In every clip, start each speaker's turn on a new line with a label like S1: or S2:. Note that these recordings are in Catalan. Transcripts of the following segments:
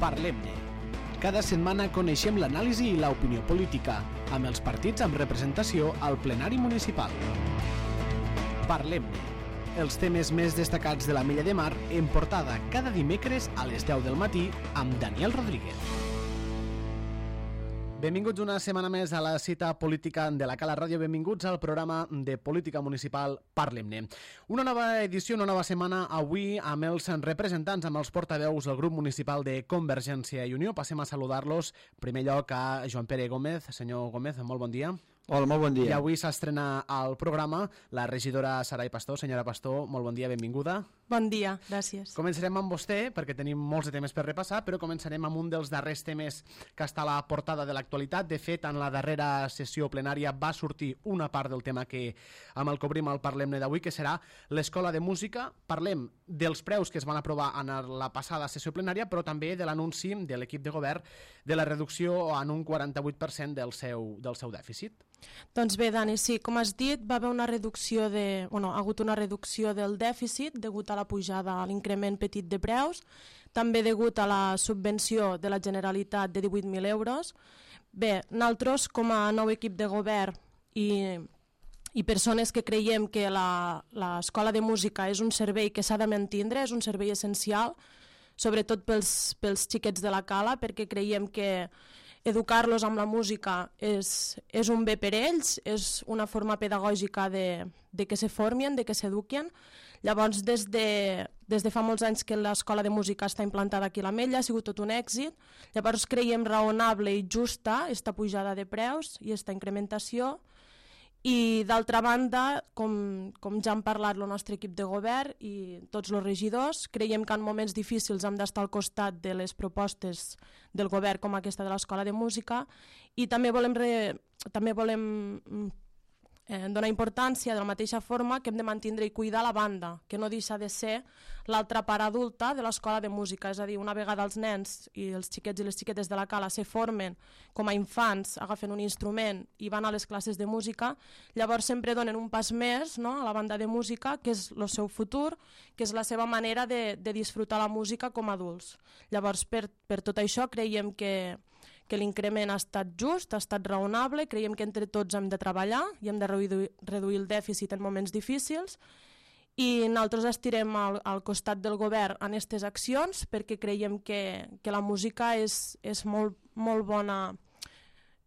S1: Parlem-ne. Cada setmana coneixem l'anàlisi i l'opinió política, amb els partits amb representació al plenari municipal. Parlem-ne. Els temes més destacats de la Mella de Mar en portada cada dimecres a les 10 del matí amb Daniel Rodríguez. Benvinguts una setmana més a la cita política de la Cala Ràdio. Benvinguts al programa de política municipal Parlem-ne. Una nova edició, una nova setmana avui amb els representants, amb els portaveus del grup municipal de Convergència i Unió. Passem a saludar-los. En primer lloc a Joan Pere Gómez. Senyor Gómez, molt bon dia.
S2: Hola, molt bon dia.
S1: I avui s'estrena al programa la regidora Sarai Pastor. Senyora Pastor, molt bon dia, benvinguda.
S3: Bon dia, gràcies.
S1: Començarem amb vostè, perquè tenim molts de temes per repassar, però començarem amb un dels darrers temes que està a la portada de l'actualitat. De fet, en la darrera sessió plenària va sortir una part del tema amb el que obrim el Parlem-ne d'avui, que serà l'Escola de Música. Parlem dels preus que es van aprovar en la passada sessió plenària, però també de l'anunci de l'equip de govern de la reducció en un 48% del seu dèficit.
S3: Doncs bé, Dani, sí, com has dit, va haver una reducció ha hagut una reducció del dèficit degut a la pujada, a l'increment petit de preus, també degut a la subvenció de la Generalitat de 18.000 euros. Bé, nosaltres, com a nou equip de govern i persones que creiem que l'escola de música és un servei que s'ha de mantindre, és un servei essencial, sobretot pels xiquets de la Cala, perquè creiem que educar-los amb la música és un bé per ells, és una forma pedagògica de que se formin, de que s'eduquin. Llavors, des de fa molts anys que l'escola de música està implantada aquí a l'Ametlla, ha sigut tot un èxit. Llavors creiem raonable i justa esta pujada de preus i esta incrementació. I d'altra banda, com ja han parlat el nostre equip de govern i tots els regidors, creiem que en moments difícils hem d'estar al costat de les propostes del govern com aquesta de l'Escola de Música i també volem donar importància de la mateixa forma que hem de mantindre i cuidar la banda, que no deixa de ser l'altra part adulta de l'escola de música, és a dir, una vegada els nens i els xiquets i les xiquetes de la Cala se formen com a infants, agafen un instrument i van a les classes de música, llavors sempre donen un pas més, no?, a la banda de música, que és el seu futur, que és la seva manera de disfrutar la música com a adults. Llavors, per tot això, creiem que l'increment ha estat just, ha estat raonable, creiem que entre tots hem de treballar i hem de reduir el dèficit en moments difícils i nosaltres estirem al costat del govern en aquestes accions perquè creiem que la música és molt bona,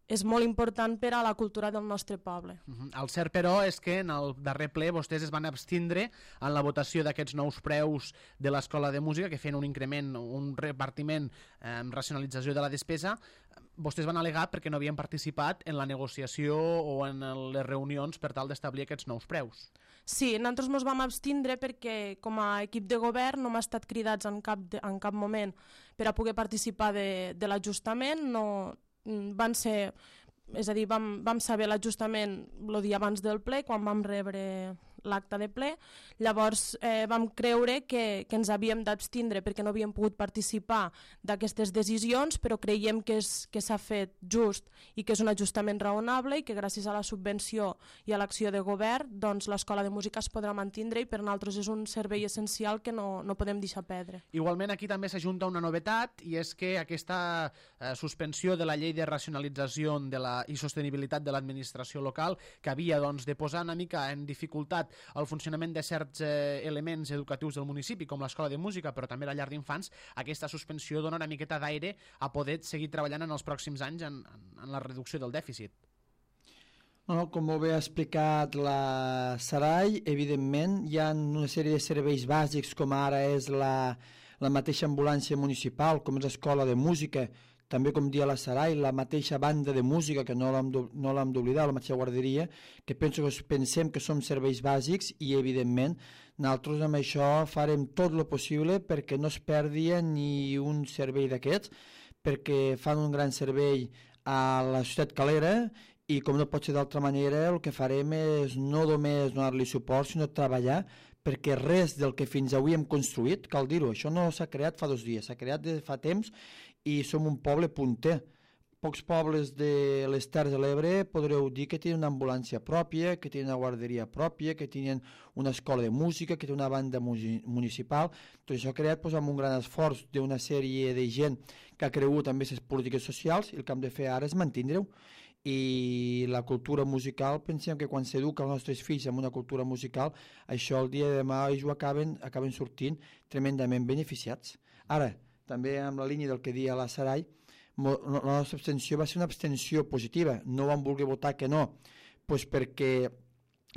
S3: és molt important per a la cultura del nostre poble.
S1: El cert, però, és que en el darrer ple vostès es van abstindre en la votació d'aquests nous preus de l'Escola de Música, que feien un increment, un repartiment, racionalització de la despesa. Vostès van al·legar perquè no havien participat en la negociació o en les reunions per tal d'establir aquests nous preus.
S3: Sí, nosaltres ens vam abstindre perquè com a equip de govern no hem estat cridats en cap moment per a poder participar de l'ajustament, van ser, és a dir, vam saber l'ajustament el dia abans del ple, quan vam rebre l'acte de ple, llavors vam creure que ens havíem d'abstindre perquè no havíem pogut participar d'aquestes decisions, però creiem que s'ha fet just i que és un ajustament raonable i que gràcies a la subvenció i a l'acció de govern doncs l'escola de música es podrà mantindre i per nosaltres és un servei essencial que no podem deixar perdre.
S1: Igualment aquí també s'ajunta una novetat i és que aquesta suspensió de la llei de racionalització i sostenibilitat de l'administració local que havia de posar una mica en dificultat el funcionament de certs elements educatius del municipi, com l'escola de música, però també la llar d'infants, aquesta suspensió dona una miqueta d'aire a poder seguir treballant en els pròxims anys en la reducció del dèficit.
S2: No, com molt bé ha explicat la Sarai, evidentment hi ha una sèrie de serveis bàsics com ara és la mateixa ambulància municipal, com és l'escola de música, també com dia la Sarai, la mateixa banda de música, que no l'hem d'oblidar, la mateixa guarderia, que pensem que som serveis bàsics i evidentment nosaltres amb això farem tot el possible perquè no es perdi ni un servei d'aquests, perquè fan un gran servei a la ciutat calera i com no pot ser d'altra manera el que farem és no només donar-li suport sinó treballar perquè res del que fins avui hem construït, cal dir-ho, això no s'ha creat fa 2 dies, s'ha creat de fa temps i som un poble punter pocs pobles de les Terres de l'Ebre podreu dir que tenen una ambulància pròpia, que tenen una guarderia pròpia, que tenen una escola de música, que tenen una banda municipal. Tot això creat amb un gran esforç d'una sèrie de gent que ha cregut en les polítiques socials, i el que hem de fer ara és mantenir-ho. I la cultura musical, pensem que quan s'educa els nostres fills amb una cultura musical, això el dia de demà ells ho acaben sortint tremendament beneficiats. Ara, també amb la línia del que dia la Sarai, la nostra abstenció va ser una abstenció positiva, no vam voler votar que no, doncs perquè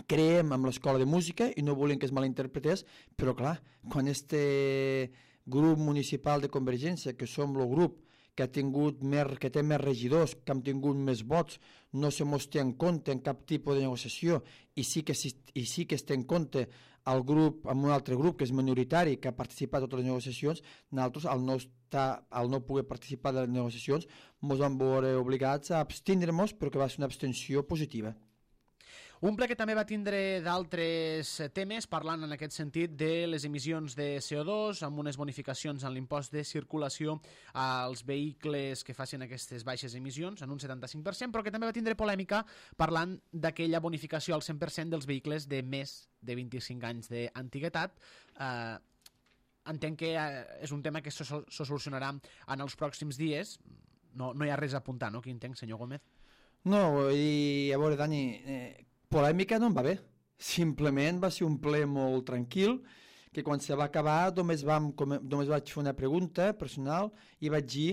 S2: creiem en l'escola de música i no volem que es malinterpretés, però clar, quan este grup municipal de Convergència, que som el grup que té més regidors, que han tingut més vots, no se mos té en compte en cap tipus de negociació, i sí que es té en compte el grup, amb un altre grup que és minoritari, que ha participat en totes les negociacions, nosaltres, al no poder participar de les negociacions, ens vam veure obligats a abstindre-nos, però que va ser una abstenció positiva.
S1: Un ple que també va tindre d'altres temes, parlant en aquest sentit de les emissions de CO2, amb unes bonificacions en l'impost de circulació als vehicles que facin aquestes baixes emissions, en un 75%, però que també va tindre polèmica parlant d'aquella bonificació al 100% dels vehicles de més de 25 anys d'antiguitat. Entenc que és un tema que se solucionarà en els pròxims dies. No hi ha res a apuntar, no? Quin entenc, senyor Gómez?
S2: No, i a veure, Dani, polèmica no em va bé. Simplement va ser un ple molt tranquil, que quan se va acabar només vaig fer una pregunta personal i vaig dir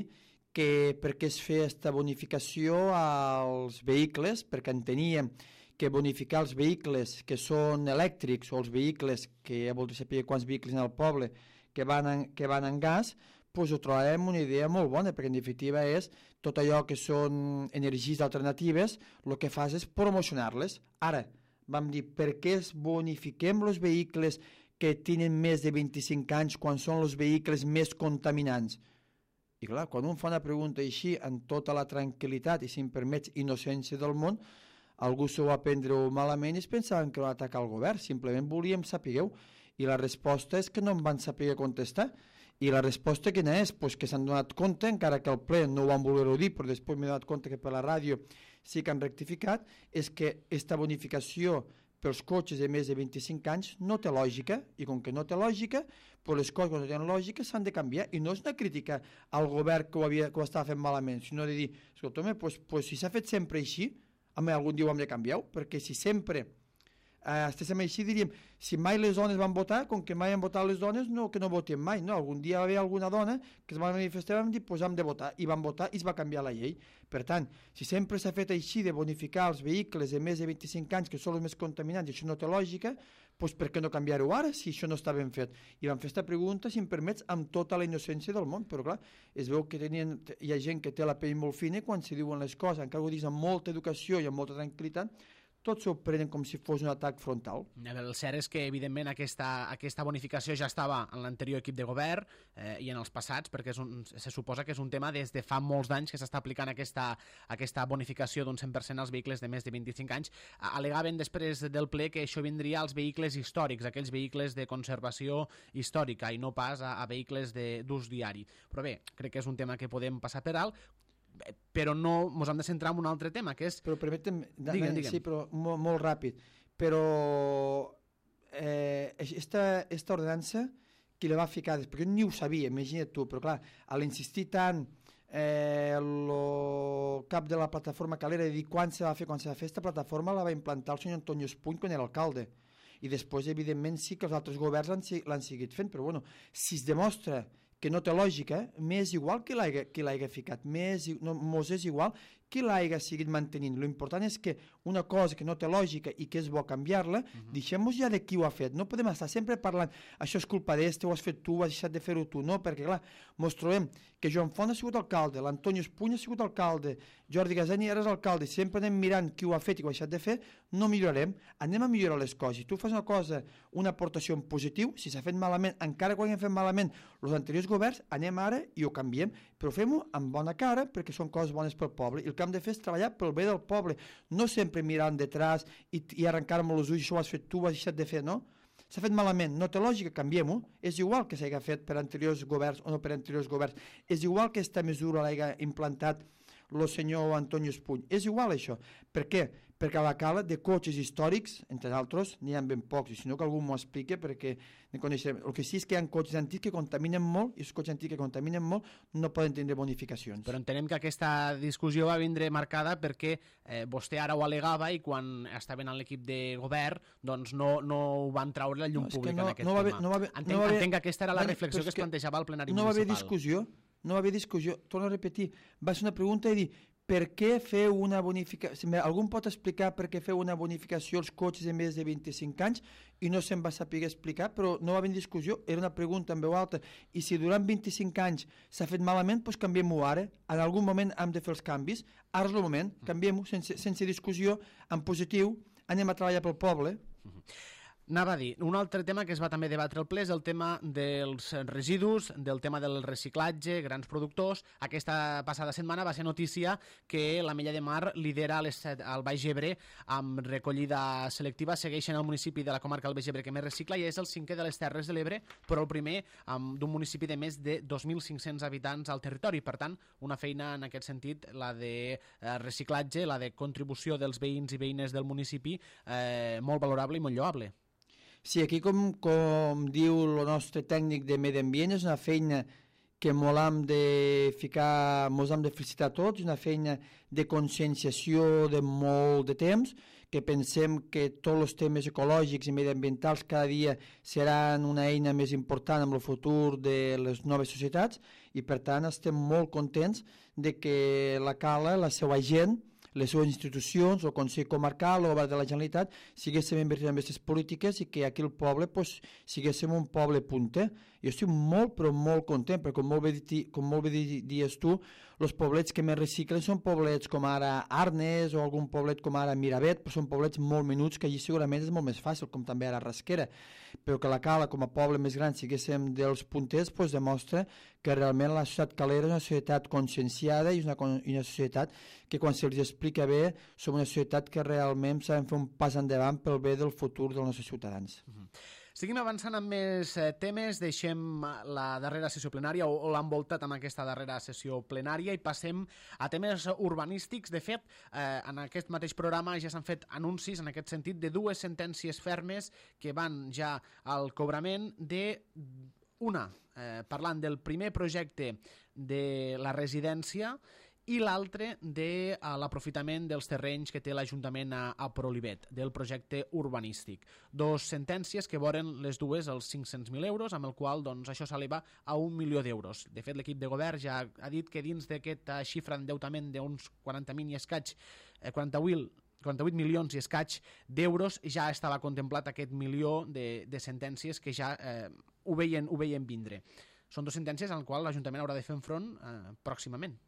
S2: que per què es feia aquesta bonificació als vehicles, perquè enteníem que bonificar els vehicles que són elèctrics o els vehicles que ja voldria saber quants vehicles en el poble que van en gas, doncs ho trobàvem una idea molt bona, perquè en definitiva és tot allò que són energies alternatives, el que fas és promocionar-les. Ara, vam dir, per què bonifiquem els vehicles que tenen més de 25 anys quan són els vehicles més contaminants? I clar, quan un fa una pregunta així, amb tota la tranquil·litat i, si em permets, innocència del món, algú s'ho va prendre malament i es pensaven que va atacar el govern. Simplement volíem saber-ho. I la resposta és que no em van saber contestar. I la resposta quina és? Pues que s'han donat compte, encara que el ple no ho van voler-ho dir, però després m'he donat compte que per la ràdio sí que han rectificat, és que aquesta bonificació pels cotxes de més de 25 anys no té lògica, i com que no té lògica, pues les coses que no tenen lògica s'han de canviar, i no és una crítica al govern que ho estava fent malament, sinó de dir, escolta'm, pues si s'ha fet sempre així, algun dia ho hem de canviar, perquè si sempre estéssim així, diríem, si mai les dones van votar, com que mai han votat les dones, no, que no votem mai, no, algun dia va haver alguna dona que es va manifestar i vam dir, pues hem de votar, i van votar i es va canviar la llei. Per tant, si sempre s'ha fet així de bonificar els vehicles de més de 25 anys, que són els més contaminants, i això no té lògica, doncs per què no canviar-ho ara, si això no està ben fet? I vam fer aquesta pregunta, si em permets, amb tota la innocència del món, però clar, es veu que hi ha gent que té la pell molt fina quan s'hi diuen les coses, encara ho dius amb molta educació i amb molta tranquil·litat, tots s'ho prenen com si fos un atac frontal.
S1: El cert és que, evidentment, aquesta bonificació ja estava en l'anterior equip de govern i en els passats, perquè se suposa que és un tema des de fa molts d'anys que s'està aplicant aquesta bonificació d'un 100% als vehicles de més de 25 anys. Al·legaven després del ple que això vindria als vehicles històrics, aquells vehicles de conservació històrica, i no pas a vehicles d'ús diari. Però bé, crec que és un tema que podem passar per alt, però no ens hem de centrar en un altre tema, que és...
S2: Però permetem,
S1: digue'm.
S2: Sí, però molt ràpid. Però esta ordenança, qui la va ficar? Perquè jo ni ho sabia, imagina't tu, però clar, a l'insistir tant el cap de la plataforma Calera de dir quan se va fer, esta plataforma la va implantar el senyor Antonio Espuny quan era alcalde. I després, evidentment, sí que els altres governs l'han seguit fent, però bueno, si es demostra que no té lògica, m'és igual qui l'hagi ficat, mos és igual qui l'hagi seguit mantenint. L'important és que una cosa que no té lògica i que és bo canviar-la, deixem-nos ja de qui ho ha fet. No podem estar sempre parlant, això és culpa d'este, ho has fet tu, has deixat de fer-ho tu, no, perquè clar, mos trobem que Joan Font ha sigut alcalde, l'Antonio Espuny ha sigut alcalde, Jordi Gasani era alcalde, sempre anem mirant qui ho ha fet i qui ho ha deixat de fer, no millorarem, anem a millorar les coses. Si tu fas una cosa, una aportació en positiu, si s'ha fet malament, encara quan hem fet malament els anteriors governs, anem ara i ho canviem, però fem-ho amb bona cara perquè són coses bones pel poble, i el que hem de fer és treballar pel bé del poble, no sempre mirar detrás i arrencar-me els ulls, això ho has fet tu, ho has deixat de fer, no? S'ha fet malament, no té lògica, canviem-ho. És igual que s'hagi fet per anteriors governs o no per anteriors governs, és igual que aquesta mesura l'hagi implantat el senyor Antonio Espuny. És igual això. Per què? Perquè a la cala de cotxes històrics, entre altres, n'hi ha ben pocs, i si no que algú m'ho expliqui, perquè ne coneixem. El que sí és que hi ha cotxes antics que contaminen molt, i els cotxes antics que contaminen molt no poden tindre bonificacions.
S1: Però entenem que aquesta discussió va vindre marcada perquè vostè ara ho al·legava i quan estaven en l'equip de govern doncs no ho van traure la llum pública en aquest tema. Entenc que aquesta era la reflexió que es plantejava al plenari municipal.
S2: No va haver discussió, torno a repetir, va ser una pregunta i dir per què feu una bonificació, algú pot explicar per què feu una bonificació als cotxes de més de 25 anys i no se'n va saber explicar, però no va haver discussió, era una pregunta en veu alta, i si durant 25 anys s'ha fet malament, doncs canviem-ho ara, en algun moment hem de fer els canvis, ara és el moment, canviem-ho sense discussió, en positiu, anem a treballar pel poble.
S1: Anava a dir, un altre tema que es va també debatre al ple és el tema dels residus, del tema del reciclatge, grans productors. Aquesta passada setmana va ser notícia que l'Ametlla de Mar lidera al Baix Ebre amb recollida selectiva. Segueixen el municipi de la comarca del Baix Ebre que més recicla i és el 5è de les Terres de l'Ebre, però el primer d'un municipi de més de 2.500 habitants al territori. Per tant, una feina en aquest sentit, la de reciclatge, la de contribució dels veïns i veïnes del municipi, molt valorable i molt lloable.
S2: Sí, aquí com diu el nostre tècnic de medi ambient, és una feina que mos hem de felicitar tots, una feina de conscienciació de molt de temps, que pensem que tots els temes ecològics i mediambientals cada dia seran una eina més important en el futur de les noves societats i per tant estem molt contents de que la Cala, la seva gent, les seves institucions, el Consell Comarcal, el Govern de la Generalitat, siguéssim invertint en aquestes polítiques i que aquí el poble siguéssim un poble punter. Jo estic molt, però molt content, perquè com molt bé dius tu, els poblets que més reciclen són poblets com ara Arnes o algun poblet com ara Miravet, però són poblets molt menuts que allí segurament és molt més fàcil, com també ara Rasquera. Però que la Cala, com a poble més gran, siguéssim dels punters, demostra que realment la societat calera és una societat conscienciada i una societat que quan se'ls explica bé som una societat que realment sabem fer un pas endavant pel bé del futur dels nostres ciutadans.
S1: Seguim avançant amb més temes, deixem la darrera sessió plenària o l'han voltat amb aquesta darrera sessió plenària i passem a temes urbanístics. De fet, en aquest mateix programa ja s'han fet anuncis en aquest sentit de dues sentències fermes que van ja al cobrament d'una, parlant del primer projecte de la residència i l'altre de l'aprofitament dels terrenys que té l'Ajuntament a Prolivet, del projecte urbanístic. Dos sentències que voren les dues els 500.000 euros, amb el qual doncs, això s'eleva a 1 milió d'euros. De fet, l'equip de govern ja ha dit que dins d'aquesta xifra d'endeutament d'uns 40.000 i escaig, 48 milions i escaig d'euros, ja estava contemplat aquest milió de sentències que ja ho veien vindre. Són dues sentències en les quals l'Ajuntament haurà de fer front pròximament.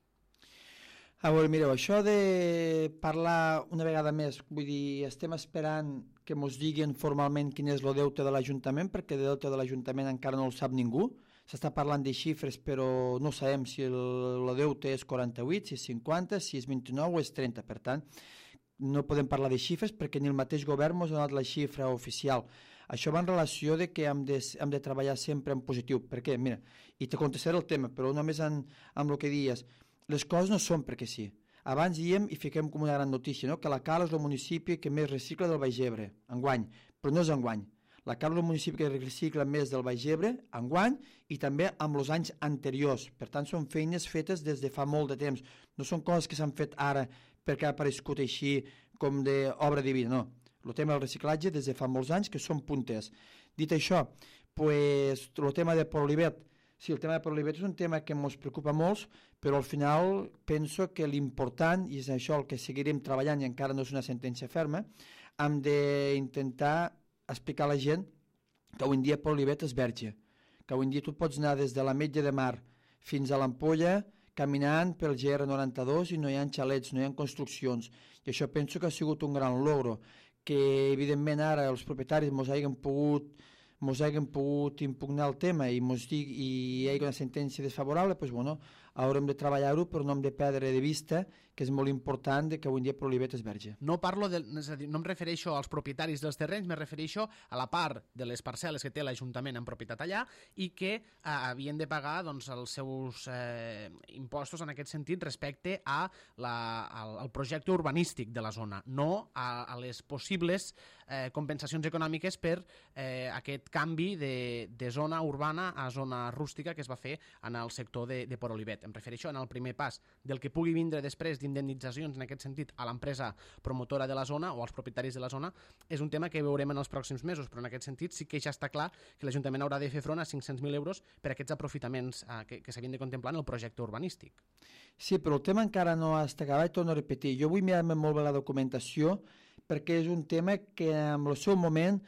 S2: A veure, mireu, això de parlar una vegada més, vull dir, estem esperant que ens diguin formalment quin és el deute de l'Ajuntament, perquè el deute de l'Ajuntament encara no el sap ningú. S'està parlant de xifres, però no sabem si el deute és 48, si és 50, si és 29 o és 30. Per tant, no podem parlar de xifres perquè ni el mateix govern ens ha donat la xifra oficial. Això va en relació de que hem de treballar sempre en positiu. Per què? Mira, i te contestaré el tema, però només amb el que dies. Les coses no són perquè sí. Abans diem i fiquem com una gran notícia, no? Que la Cala és el municipi que més recicla del Baix Ebre, enguany, però no és enguany. La Cala és el municipi que recicla més del Baix Ebre, enguany, i també amb els anys anteriors. Per tant, són feines fetes des de fa molt de temps. No són coses que s'han fet ara perquè ha aparegut així com d'obra divina, no. El tema del reciclatge des de fa molts anys que són punters. Dit això, el tema de Prolivet, sí, el tema de Prolivet és un tema que ens preocupa molt, però al final penso que l'important, i és això el que seguirem treballant i encara no és una sentència ferma, hem d'intentar explicar a la gent que avui en dia Prolivet és verge, que avui en dia tu pots anar des de l'Ametlla de Mar fins a l'Ampolla caminant pel GR92 i no hi ha xalets, no hi ha construccions. I això penso que ha sigut un gran logro, que evidentment ara els propietaris ens hagin pogut impugnar el tema i hi hagi una sentència desfavorable, doncs, bueno, haurem de treballar-ho, però no hem de perdre de vista que és molt important que avui en dia Prolivet és verge.
S1: No parlo és a dir, no em refereixo als propietaris dels terrenys, me refereixo a la part de les parcel·les que té l'Ajuntament en propietat allà i que havien de pagar doncs, els seus impostos en aquest sentit respecte al projecte urbanístic de la zona, no a les possibles compensacions econòmiques per aquest canvi de zona urbana a zona rústica que es va fer en el sector de Port Olivet. Em refereixo en el primer pas del que pugui vindre després d'indemnitzacions en aquest sentit a l'empresa promotora de la zona o als propietaris de la zona, és un tema que veurem en els pròxims mesos, però en aquest sentit sí que ja està clar que l'Ajuntament haurà de fer front a 500.000 euros per aquests aprofitaments que s'havien de contemplar en el projecte urbanístic.
S2: Sí, però el tema encara no està acabat, torno a repetir. Jo vull mirar-me molt bé la documentació perquè és un tema que en el seu moment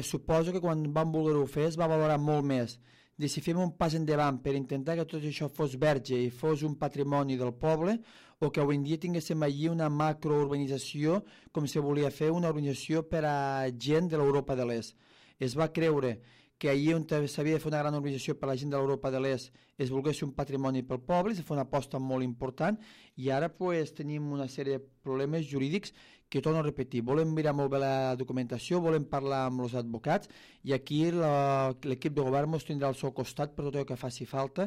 S2: suposo que quan van voler-ho fer es va valorar molt més de si fem un pas endavant per intentar que tot això fos verge i fos un patrimoni del poble o que avui en dia tinguéssim allí una macrourbanització com se volia fer una urbanització per a gent de l'Europa de l'Est. Es va creure que allí on s'havia de fer una gran urbanització per a la gent de l'Europa de l'Est es volgués un patrimoni pel poble, es va fer una aposta molt important i ara pues, tenim una sèrie de problemes jurídics que torno a repetir, volem mirar molt bé la documentació, volem parlar amb els advocats i aquí l'equip de govern ens tindrà al seu costat per tot el que faci falta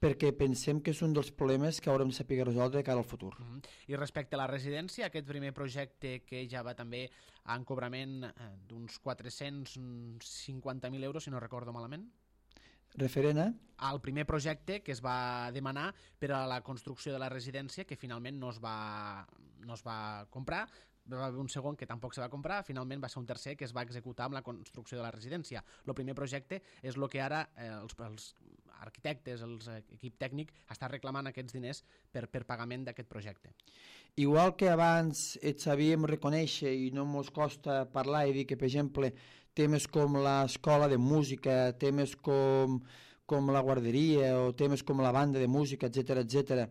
S2: perquè pensem que és un dels problemes que haurem de saber resoldre de cara al futur.
S1: I respecte a la residència, aquest primer projecte que ja va també en cobrament d'uns 450.000 euros, si no recordo malament?
S2: Referent a?
S1: Al primer projecte que es va demanar per a la construcció de la residència que finalment no es va comprar, va haver un segon que tampoc se va comprar, finalment va ser un tercer que es va executar amb la construcció de la residència. El primer projecte és el que ara els arquitectes, l'equip tècnic està reclamant aquests diners per pagament d'aquest projecte.
S2: Igual que abans et sabíem reconèixer i no ens costa parlar i dir que, per exemple, temes com l'escola de música, temes com la guarderia o temes com la banda de música, etc.,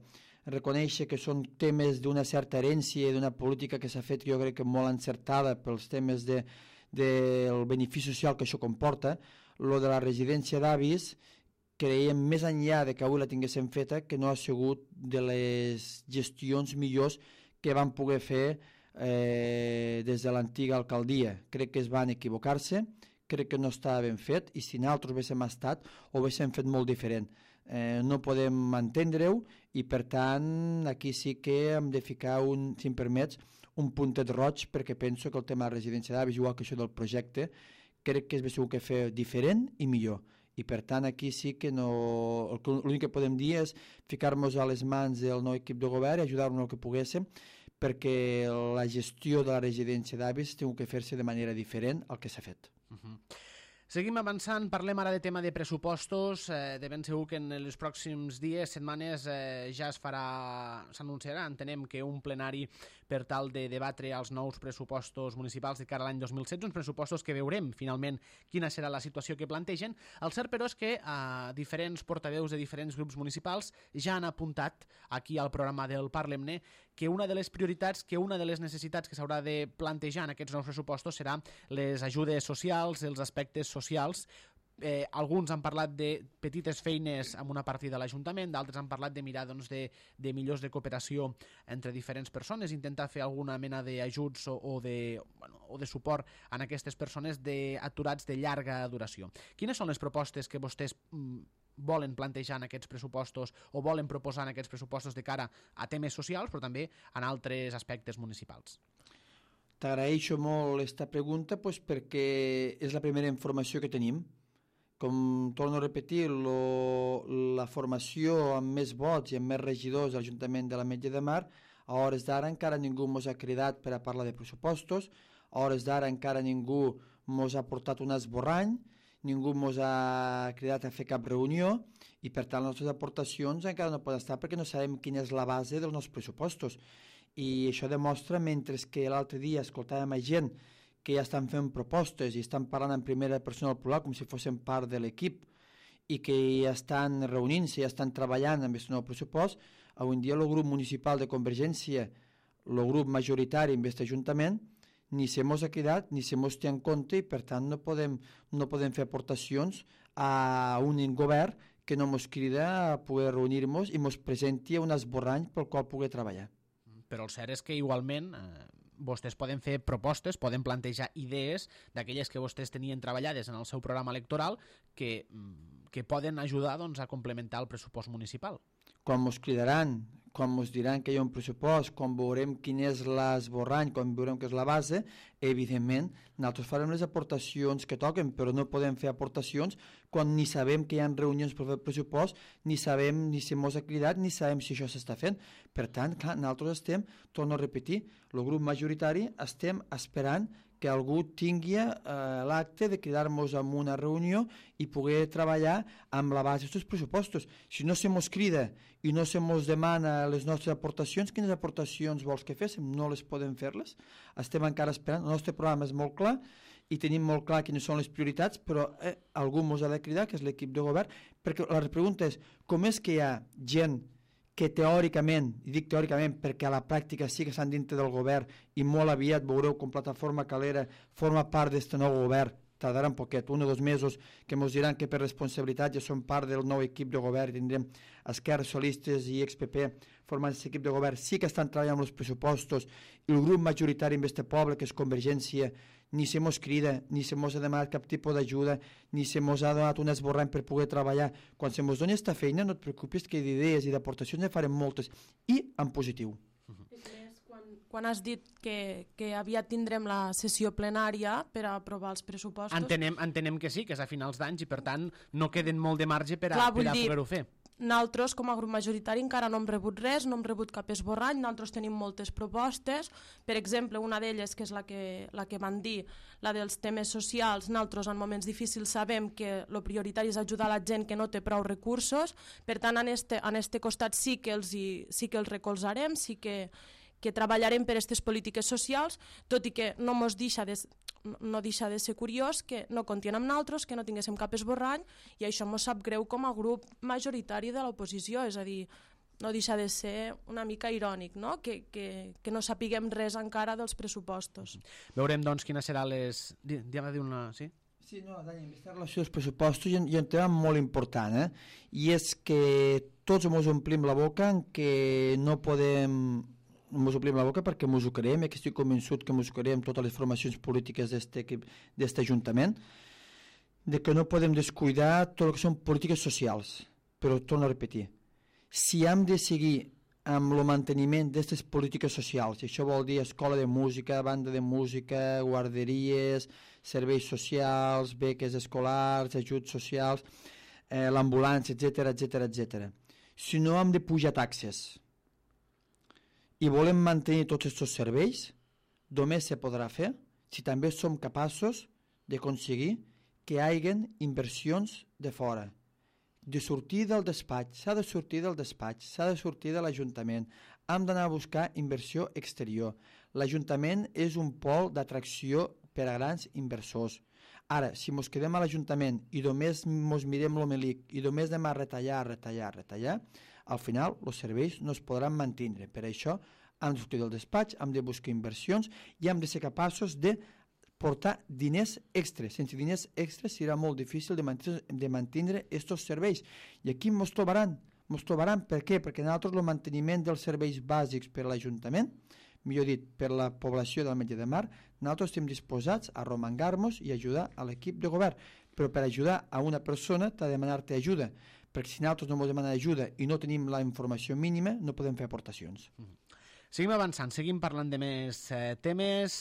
S2: reconèixer que són temes d'una certa herència i d'una política que s'ha fet, jo crec que molt encertada pels temes del benefici social que això comporta, lo de la residència d'avis, creiem més enllà de que avui la tinguéssim feta que no ha sigut de les gestions millors que van poder fer des de l'antiga alcaldia. Crec que es van equivocar-se, crec que no estava ben fet i si nosaltres haguéssim estat ho haguéssim fet molt diferent. No podem entendre-ho i per tant aquí sí que hem de ficar si em permets un puntet roig perquè penso que el tema de la residència d'avis igual que això del projecte crec que és segur que fer diferent i millor i per tant aquí sí que no l'únic que podem dir és ficar-nos a les mans del nou equip de govern i ajudar-nos el que poguéssim perquè la gestió de la residència d'avis tingui que fer-se de manera diferent al que s'ha fet.
S1: Seguim avançant, parlem ara de tema de pressupostos, de ben segur que en els pròxims dies, setmanes, ja s'anunciarà, entenem que un plenari per tal de debatre els nous pressupostos municipals de cara a l'any 2016, uns pressupostos que veurem finalment quina serà la situació que plantegen. El cert, però, és que diferents portaveus de diferents grups municipals ja han apuntat aquí al programa del Parlem-ne que una de les prioritats, que una de les necessitats que s'haurà de plantejar en aquests nous pressupostos serà les ajudes socials, els aspectes socials. Alguns han parlat de petites feines amb una partida a l'Ajuntament, d'altres han parlat de mirar de millors de cooperació entre diferents persones, intentar fer alguna mena d'ajuts o de suport a aquestes persones aturats de llarga duració. Quines són les propostes que vostès volen plantejar en aquests pressupostos o volen proposar en aquests pressupostos de cara a temes socials, però també en altres aspectes municipals?
S2: T'agraeixo molt aquesta pregunta perquè és la primera informació que tenim. Com torno a repetir, la formació amb més vots i amb més regidors a l'Ajuntament de l'Ametlla de Mar, a hores d'ara encara ningú ens ha cridat per a parlar de pressupostos, a hores d'ara encara ningú ens ha portat un esborrany, ningú ens ha cridat a fer cap reunió i per tant les nostres aportacions encara no poden estar perquè no sabem quina és la base dels nostres pressupostos. I això demostra, mentre que l'altre dia escoltàvem a gent que ja estan fent propostes i estan parlant en primera persona del plural com si fossin part de l'equip i que ja estan reunint-se, ja estan treballant amb aquest nou pressupost, avui en dia el grup municipal de Convergència, el grup majoritari en aquest ajuntament, ni se mos ha cridat ni se mos té en compte i per tant no podem fer aportacions a un govern que no ens crida a poder reunir-nos i ens presenti un esborrany pel qual poder treballar.
S1: Però el cert és que igualment vostès poden fer propostes, poden plantejar idees d'aquelles que vostès tenien treballades en el seu programa electoral que poden ajudar doncs, a complementar el pressupost municipal.
S2: Quan ens cridaran, quan ens diran que hi ha un pressupost, quan veurem quin és l'esborrany, quan veurem què és la base, evidentment, nosaltres farem les aportacions que toquen, però no podem fer aportacions quan ni sabem que hi ha reunions per fer el pressupost, ni sabem ni si ens ha cridat, ni sabem si això s'està fent. Per tant, clar, nosaltres estem, torno a repetir, el grup majoritari estem esperant que algú tingui l'acte de cridar-nos a una reunió i poder treballar amb la base d'aquests pressupostos. Si no se mos crida i no se mos demana les nostres aportacions, quines aportacions vols que féssim? No les podem fer-les. Estem encara esperant. El nostre programa és molt clar i tenim molt clar quines són les prioritats, però algú mos ha de cridar, que és l'equip de govern, perquè la pregunta és com és que hi ha gent que teòricament, i dic teòricament perquè a la pràctica sí que estan dintre del govern i molt aviat veureu com Plataforma Calera forma part d'aquest nou govern, tardarà un poquet, 1 o 2 mesos, que ens diran que per responsabilitat ja són part del nou equip de govern i tindrem Esquerres Socialistes i XPP formant aquest equip de govern, sí que estan treballant amb els pressupostos i el grup majoritari en este poble, que és Convergència, ni se mos crida, ni se mos ha demanat cap tipus d'ajuda, ni se mos ha donat un esborrany per poder treballar. Quan se mos doni aquesta feina, no et preocupis que d'idees i d'aportacions ne farem moltes, i en positiu.
S3: Quan has dit que aviat tindrem la sessió plenària per a aprovar els pressupostos...
S1: Entenem que sí, que és a finals d'anys i per tant no queden molt de marge per a poder-ho fer.
S3: Nosaltres, com a grup majoritari, encara no hem rebut res, no hem rebut cap esborrany, nosaltres tenim moltes propostes. Per exemple, una d'elles, que és la que van dir, la dels temes socials, nosaltres en moments difícils sabem que el prioritari és ajudar la gent que no té prou recursos, per tant, en este costat sí que els recolzarem, sí que treballarem per aquestes polítiques socials, tot i que no deixa de ser curiós que no comptien amb nosaltres, que no tinguéssim cap esborrany, i això ens sap greu com a grup majoritari de l'oposició, és a dir, no deixa de ser una mica irònic, no? Que no sapiguem res encara dels pressupostos.
S1: Veurem, doncs, quines seran les... Sí?
S2: Sí, no, Dani, en aquesta relació dels pressupostos hi ha un tema molt important, i és que tots ens omplim la boca en que no podem... Ens omplim la boca perquè ens ho creiem, que estic convençut que ens ho creiem totes les formacions polítiques d'aquest Ajuntament, de que no podem descuidar tot el que són polítiques socials. Però torno a repetir, si hem de seguir amb el manteniment d'aquestes polítiques socials, i això vol dir escola de música, banda de música, guarderies, serveis socials, beques escolars, ajuts socials, l'ambulància, etc. Si no hem de pujar taxes i volem mantenir tots aquests serveis, només se podrà fer si també som capaços d'aconseguir que hi hagi inversions de fora, de sortir del despatx, s'ha de sortir del despatx, s'ha de sortir de l'Ajuntament, hem d'anar a buscar inversió exterior. L'Ajuntament és un pol d'atracció per a grans inversors. Ara, si ens quedem a l'Ajuntament i només ens mirem l'omelic i només anem a retallar, al final els serveis no es podran mantenir. Per això hem de sortir del despatx, hem de buscar inversions i hem de ser capaços de portar diners extres. Sense diners extres serà molt difícil de mantenir aquests serveis. I aquí ens trobaran. Per què? Perquè nosaltres el manteniment dels serveis bàsics per a l'Ajuntament, millor dit, per la població del Metge de Mar, nosaltres estem disposats a romangar-nos i ajudar a l'equip de govern. Però per ajudar a una persona t'ha de demanar-te ajuda, perquè si nosaltres no ens demanem ajuda i no tenim la informació mínima, no podem fer aportacions.
S1: Seguim avançant, seguim parlant de més temes,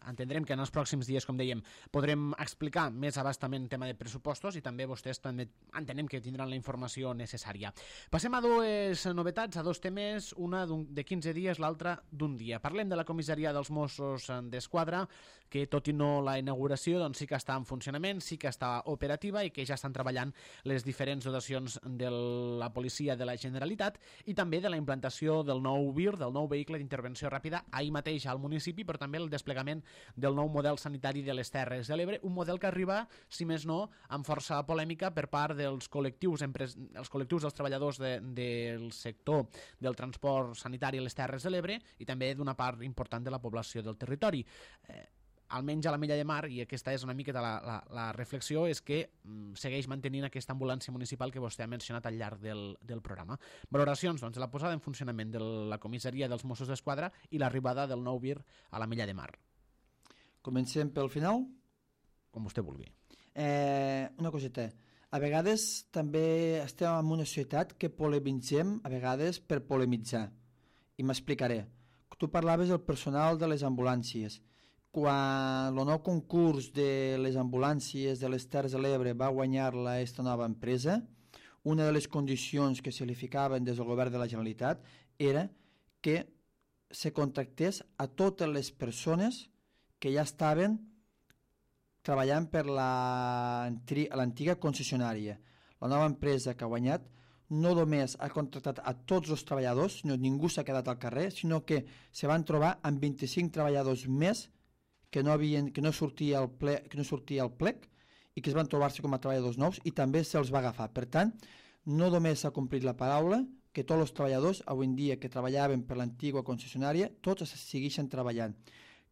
S1: entendrem que en els pròxims dies, com dèiem, podrem explicar més abastament el tema de pressupostos i també vostès també entenem que tindran la informació necessària. Passem a dues novetats, a dos temes, una de 15 dies, l'altra d'un dia. Parlem de la comissaria dels Mossos d'Esquadra, que tot i no la inauguració, doncs sí que està en funcionament, sí que està operativa i que ja estan treballant les diferents dotacions de la policia de la Generalitat i també de la implantació del nou VIR, del nou vehicle d'intervenció ràpida ahir mateix al municipi, però també el desplegament del nou model sanitari de les Terres de l'Ebre, un model que arriba, si més no, amb força polèmica per part dels col·lectius, dels treballadors del sector del transport sanitari a les Terres de l'Ebre i també d'una part important de la població del territori. almenys a l'Ametlla de Mar, i aquesta és una miqueta la reflexió, és que segueix mantenint aquesta ambulància municipal que vostè ha mencionat al llarg del programa. Valoracions, doncs, de la posada en funcionament de la comissaria dels Mossos d'Esquadra i l'arribada del nou VIR a l'Ametlla de Mar.
S2: Comencem pel final?
S1: Com vostè vulgui.
S2: Una coseta. A vegades també estem en una societat que polemitzem, a vegades per polemitzar. I m'explicaré. Tu parlaves del personal de les ambulàncies. Quan el nou concurs de les ambulàncies de les Terres de l'Ebre va guanyar-la aquesta nova empresa, una de les condicions que se li ficaven des del govern de la Generalitat era que se contractés a totes les persones que ja estaven treballant per l'antiga concessionària. La nova empresa que ha guanyat no només ha contractat a tots els treballadors, sinó ningú s'ha quedat al carrer, sinó que se van trobar amb 25 treballadors més que no sortia al plec i que es van trobar-se com a treballadors nous i també se'ls va agafar. Per tant, no només s'ha complit la paraula, que tots els treballadors avui en dia que treballaven per l'antiga concessionària, tots segueixen treballant.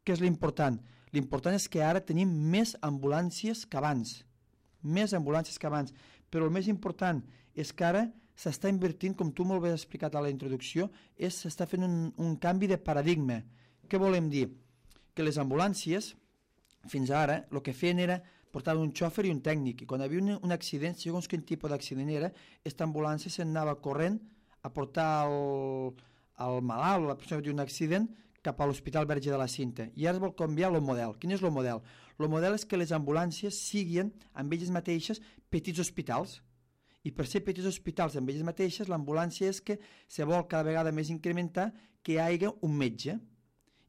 S2: Què és l'important? L'important és que ara tenim més ambulàncies que abans. Més ambulàncies que abans. Però el més important és que ara s'està invertint, com tu molt bé has explicat a la introducció, s'està fent un canvi de paradigma. Què volem dir? Que les ambulàncies, fins ara, el que feien era portar un xòfer i un tècnic. I quan hi havia un accident, segons quin tipus d'accident era, aquesta ambulància s'anava corrent a portar el malalt o la persona que té un accident cap a l'Hospital Verge de la Cinta. I ara es vol canviar el model. Quin és el model? El model és que les ambulàncies siguin amb elles mateixes petits hospitals. I per ser petits hospitals amb elles mateixes, l'ambulància és que se vol cada vegada més incrementar que hi hagi un metge.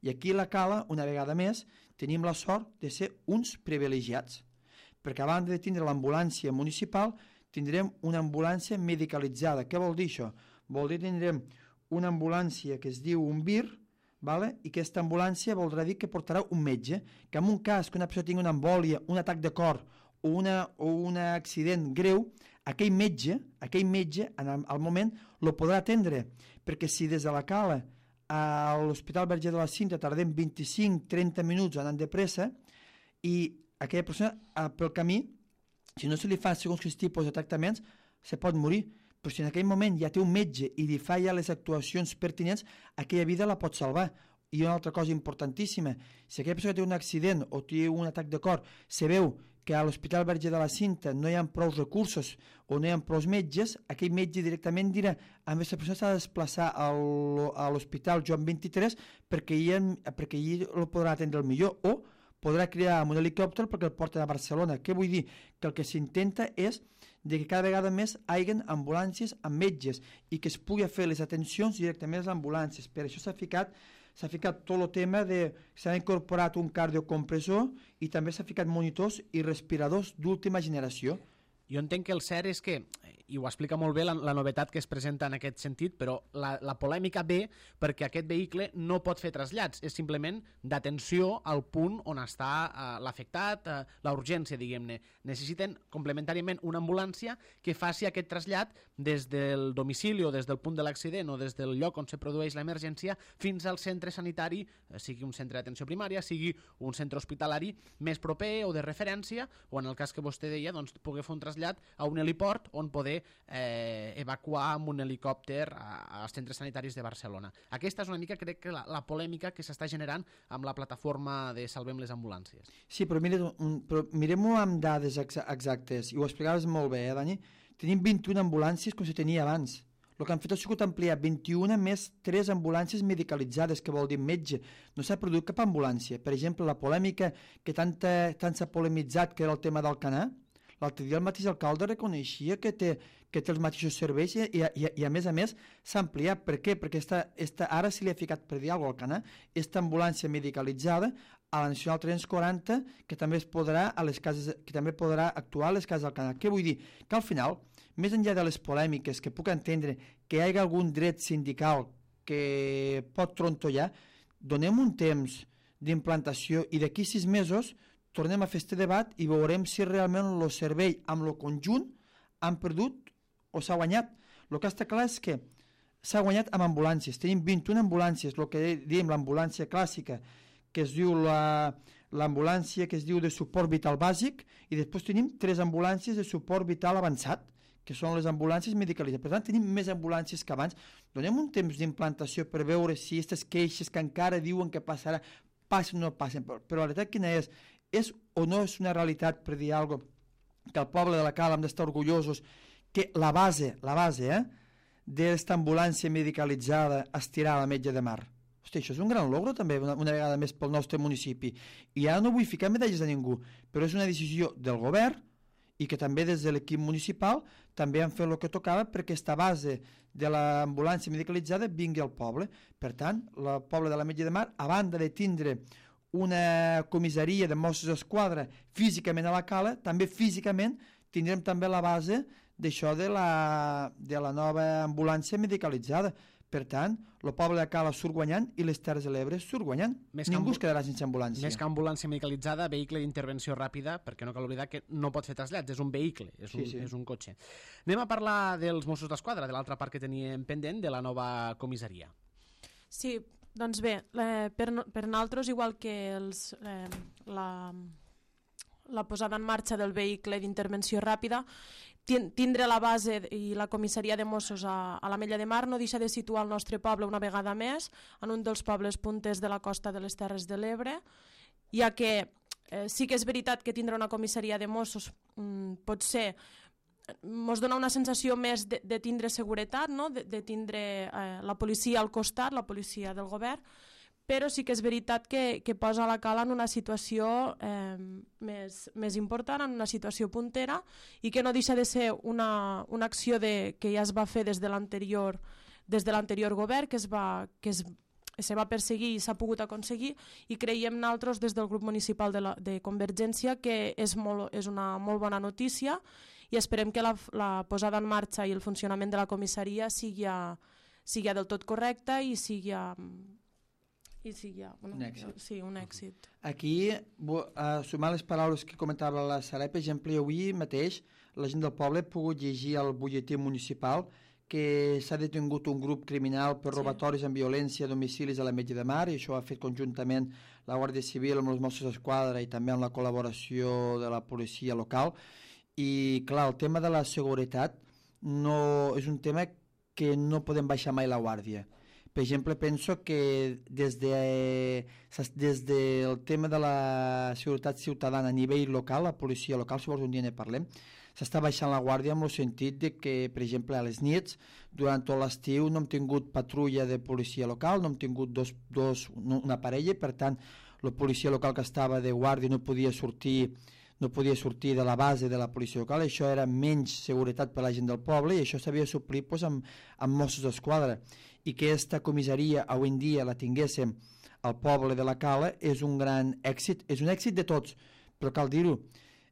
S2: I aquí a la Cala, una vegada més, tenim la sort de ser uns privilegiats. Perquè a banda de tindre l'ambulància municipal, tindrem una ambulància medicalitzada. Què vol dir això? Vol dir que tindrem una ambulància que es diu un VIR, vale? I aquesta ambulància voldrà dir que portarà un metge, que en un cas que una persona tingui una embòlia, un atac de cor o un accident greu, aquell metge al moment el podrà atendre, perquè si des de la Cala a l'Hospital Verge de la Cinta tardem 25-30 minuts anant de pressa i aquella persona pel camí, si no se li fa segons quins tipus de tractaments, se pot morir. Però si en aquell moment ja té un metge i li fa ja les actuacions pertinents, aquella vida la pot salvar. I una altra cosa importantíssima, si aquella persona té un accident o té un atac de cor, se veu que a l'Hospital Verge de la Cinta no hi ha prou recursos o no hi ha prou metges, aquell metge directament dirà a aquesta persona s'ha de desplaçar a l'Hospital Joan 23 perquè allí el podrà atendre el millor o podrà crear un helicòpter perquè el porten a Barcelona. Què vull dir? Que el que s'intenta és de que cada vegada més hi hagi ambulàncies amb metges i que es pugui fer les atencions directament a les ambulàncies. Per això s'ha ficat tot el tema de... S'ha incorporat un cardiocompressor i també s'ha ficat monitors i respiradors d'última generació.
S1: Jo entenc que el cert és que, i ho explica molt bé la novetat que es presenta en aquest sentit, però la polèmica ve perquè aquest vehicle no pot fer trasllats, és simplement d'atenció al punt on està l'afectat, la urgència, diguem-ne. Necessiten complementàriament una ambulància que faci aquest trasllat des del domicili o des del punt de l'accident o des del lloc on se produeix l'emergència fins al centre sanitari, sigui un centre d'atenció primària, sigui un centre hospitalari més proper o de referència, o en el cas que vostè deia, doncs, poder fer un trasllat a un heliport on poder evacuar amb un helicòpter als centres sanitaris de Barcelona. Aquesta és una mica, crec, que la polèmica que s'està generant amb la plataforma de Salvem les Ambulàncies.
S2: Sí, però mirem-ho amb dades exactes, i ho explicaves molt bé, Dani? Tenim 21 ambulàncies com se tenia abans. El que han fet ha sigut ampliar 21 més 3 ambulàncies medicalitzades, que vol dir metge. No s'ha produït cap ambulància. Per exemple, la polèmica que tant s'ha polemitzat, que era el tema del Canà, l'altre dia el mateix alcalde reconeixia que té els mateixos serveis i a més s'ha ampliat. Per què? Perquè ara se li ha ficat, per dir alguna cosa al Canà, aquesta ambulància medicalitzada a la Nacional 340 que també podrà actuar a les cases del Canà. Què vull dir? Que al final, més enllà de les polèmiques que puc entendre que hi hagi algun dret sindical que pot trontollar, donem un temps d'implantació i d'aquí 6 mesos tornem a fer aquest debat i veurem si realment el servei amb el conjunt han perdut o s'ha guanyat. El que està clar és que s'ha guanyat amb ambulàncies. Tenim 21 ambulàncies, el que diem l'ambulància clàssica, que es diu la l'ambulància que es diu de suport vital bàsic i després tenim 3 ambulàncies de suport vital avançat, que són les ambulàncies medicalitzades. Per tant, tenim més ambulàncies que abans. Donem un temps d'implantació per veure si aquestes queixes que encara diuen que passarà, passen o no passen. Però la realitat quina és? És o no és una realitat, per dir alguna cosa, que el poble de la Cala hem d'estar orgullosos que la base d'esta ambulància medicalitzada estirà a la Metge de Mar? Hosti, això és un gran logro també, una vegada més pel nostre municipi. I ara no vull ficar medalles a ningú, però és una decisió del govern i que també des de l'equip municipal també han fet el que tocava perquè aquesta base de l'ambulància medicalitzada vingui al poble. Per tant, el poble de la Metge de Mar, a banda de tindre una comissaria de Mossos d'Esquadra físicament a la Cala, també físicament tindrem també la base d'això de la nova ambulància medicalitzada. Per tant, el poble de Cala surt guanyant i les Terres de l'Ebre surt guanyant. Ningú es quedarà sense ambulància.
S1: Més que ambulància medicalitzada, vehicle d'intervenció ràpida, perquè no cal oblidar que no pot fer trasllats, és un vehicle, és un cotxe. Anem a parlar dels Mossos d'Esquadra, de l'altra part que teníem pendent, de la nova comissaria.
S3: Sí, doncs bé, per nosaltres, igual que la posada en marxa del vehicle d'intervenció ràpida, tindre la base i la comissaria de Mossos a l'Ametlla de Mar no deixa de situar el nostre poble una vegada més en un dels pobles punters de la costa de les Terres de l'Ebre, ja que sí que és veritat que tindre una comissaria de Mossos potser ens dona una sensació més de tindre seguretat, no? de tindre la policia al costat, la policia del govern, però sí que és veritat que posa la Cala en una situació més important, en una situació puntera, i que no deixa de ser una acció que ja es va fer des de l'anterior govern, que se va perseguir i s'ha pogut aconseguir, i creiem nosaltres des del grup municipal de Convergència que és una molt bona notícia, i esperem que la posada en marxa i el funcionament de la comissaria sigui del tot correcte i sigui
S2: un èxit.
S3: Sí, un èxit.
S2: Aquí, sumar les paraules que comentava la Sarai, per exemple, avui mateix la gent del poble ha pogut llegir al butlletí municipal que s'ha detingut un grup criminal per robatoris amb violència a domicilis a la Metge de Mar, i això ho ha fet conjuntament la Guàrdia Civil amb els Mossos d'Esquadra i també amb la col·laboració de la policia local. I clar, el tema de la seguretat és un tema que no podem baixar mai la guàrdia. Per exemple, penso que des del tema de la seguretat ciutadana a nivell local, la policia local, si vols un dia ne parlem, s'està baixant la guàrdia en el sentit de que, per exemple, a les nits, durant tot l'estiu, no hem tingut patrulla de policia local, no hem tingut una parella, per tant, la policia local que estava de guàrdia no podia sortir de la base de la policia local, això era menys seguretat per a la gent del poble, i això s'havia de suplir amb Mossos d'Esquadra. I que aquesta comissaria avui en dia la tinguéssim al poble de la Cala és un gran èxit, és un èxit de tots, però cal dir-ho,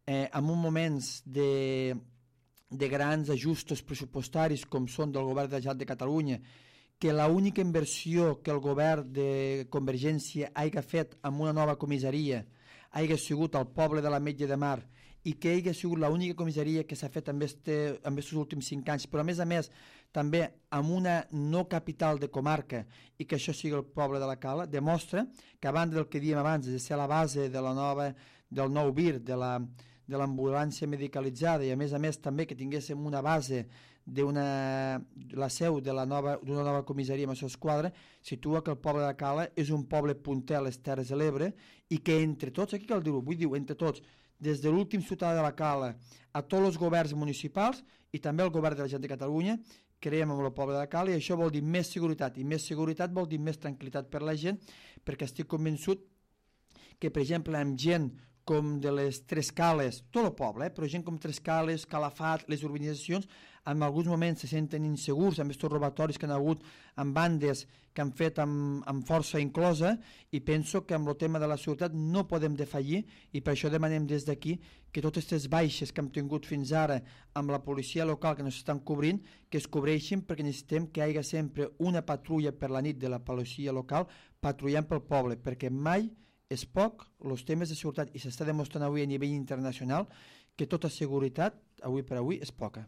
S2: en uns moments de grans ajustos pressupostaris com són del govern de la Generalitat de Catalunya, que l'única inversió que el govern de Convergència hagi fet amb una nova comissaria hagi sigut al poble de la Metge de Mar, i que hagi sigut l'única comissaria que s'ha fet en aquests últims 5 anys, però a més també amb una no capital de comarca, i que això sigui el poble de la Cala, demostra que a banda del que dèiem abans de ser la base del nou VIR, de l'ambulància medicalitzada, i a més també que tinguéssim una base la seu d'una nova comissaria Mossos d'Esquadra, situa que el poble de la Cala és un poble punter a les Terres de l'Ebre, i que entre tots, aquí cal dir-ho, entre tots, des de l'últim ciutadà de la Cala a tots els governs municipals i també el govern de la Generalitat de Catalunya, creiem en el poble de la Cala, i això vol dir més seguretat, i més seguretat vol dir més tranquil·litat per la gent, perquè estic convençut que, per exemple, amb gent com de les Tres Cales, tot el poble, però gent com Tres Cales, Calafat, les urbanitzacions, en alguns moments se senten insegurs amb aquests robatoris que han hagut amb bandes que han fet amb força inclosa, i penso que amb el tema de la seguretat no podem defallir, i per això demanem des d'aquí que totes aquestes baixes que hem tingut fins ara amb la policia local que no s'estan cobrint, que es cobreixin, perquè necessitem que hi hagi sempre una patrulla per la nit de la policia local patrullant pel poble, perquè mai és poc els temes de seguretat, i s'està demostrant avui a nivell internacional que tota seguretat, avui per avui, és poca.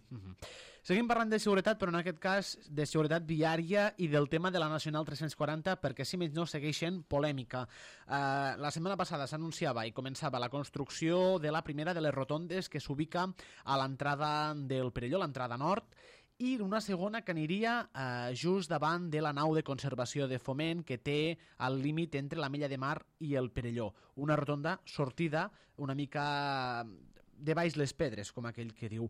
S1: Seguim parlant de seguretat, però en aquest cas de seguretat viària i del tema de la Nacional 340, perquè si menys no segueixen polèmica. La setmana passada s'anunciava i començava la construcció de la primera de les rotondes que s'ubica a l'entrada del Perelló, l'entrada nord, i una segona que aniria just davant de la nau de conservació de Foment que té el límit entre la Mella de Mar i el Perelló. Una rotonda sortida una mica de baix les pedres, com aquell que diu.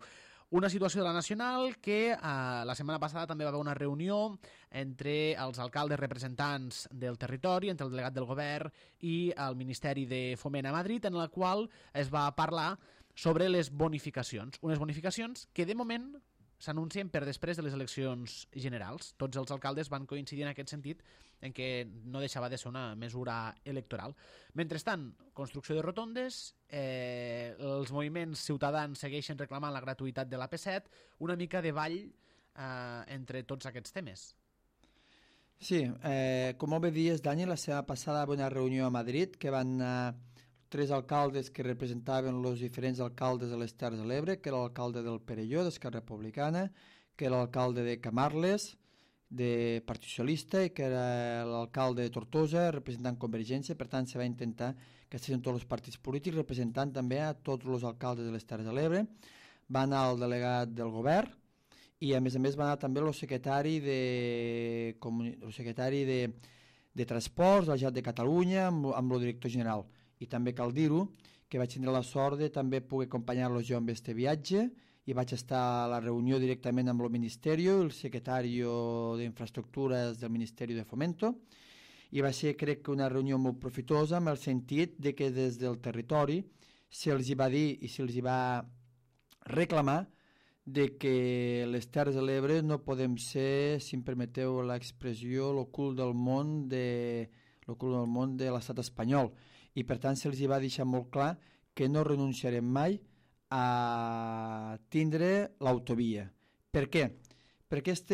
S1: Una situació de la Nacional que la setmana passada també va haver una reunió entre els alcaldes representants del territori, entre el delegat del govern i el Ministeri de Foment a Madrid, en la qual es va parlar sobre les bonificacions. Unes bonificacions que de moment s'anuncien per després de les eleccions generals. Tots els alcaldes van coincidir en aquest sentit en què no deixava de ser una mesura electoral. Mentrestant, construcció de rotondes, els moviments ciutadans segueixen reclamant la gratuïtat de l'AP7, una mica de ball entre tots aquests temes.
S2: Sí, com molt bé dies, Dani, la setmana passada va haver una reunió a Madrid que van anar 3 alcaldes que representaven els diferents alcaldes de les Terres de l'Ebre, que era l'alcalde del Perelló, d'Esquerra Republicana, que era l'alcalde de Camarles, de Partit Socialista, i que era l'alcalde de Tortosa, representant Convergència. Per tant, se va intentar que estiguessin tots els partits polítics, representant també a tots els alcaldes de les Terres de l'Ebre. Va anar el delegat del govern i, a més, va anar també el secretari de Transports de la Generalitat de Catalunya amb el director general. I també cal dir-ho, que vaig tenir la sort de també poder acompanyar-los jo amb aquest viatge i vaig estar a la reunió directament amb el Ministeri, el secretari d'Infraestructures del Ministeri de Fomento, i va ser, crec, una reunió molt profitosa en el sentit de que des del territori se'ls hi va dir i se'ls hi va reclamar de que les Terres de l'Ebre no podem ser, si em permeteu l'expressió, el cul del món de l'estat espanyol. I per tant se'ls va deixar molt clar que no renunciarem mai a tindre l'autovia. Per què? Perquè aquest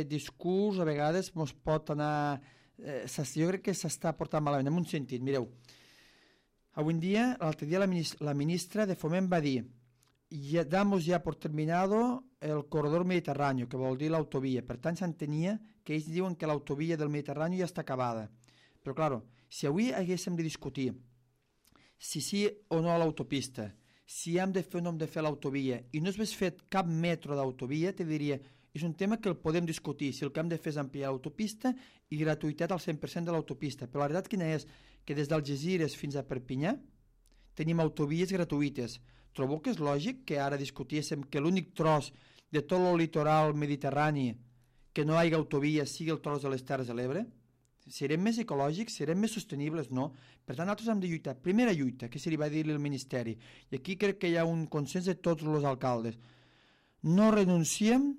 S2: discurs a vegades ens pot anar... jo crec que s'està portant malament, en un sentit. Mireu, avui en dia, l'altre dia la ministra de Foment va dir damos ya por terminado el corredor mediterráneo, que vol dir l'autovia. Per tant, s'entenia que ells diuen que l'autovia del Mediterrani ja està acabada. Però, claro, si avui haguéssim de discutir si sí o no a l'autopista, si hem de fer o no hem de fer l'autovia, i no s'hagués fet cap metro d'autovia, te diria, és un tema que el podem discutir, si el que hem de fer és ampliar l'autopista i gratuïtat al 100% de l'autopista. Però la veritat quina és? Que des d'Algesires fins a Perpinyà tenim autovies gratuïtes. Trobo que és lògic que ara discutíssim que l'únic tros de tot el litoral mediterrani que no hi hagi autovia sigui el tros de les Terres de l'Ebre? Serem més ecològics, serem més sostenibles? No. Per tant, nosaltres hem de lluitar. Primera lluita, que se li va dir-li al Ministeri, i aquí crec que hi ha un consens de tots els alcaldes. No renunciem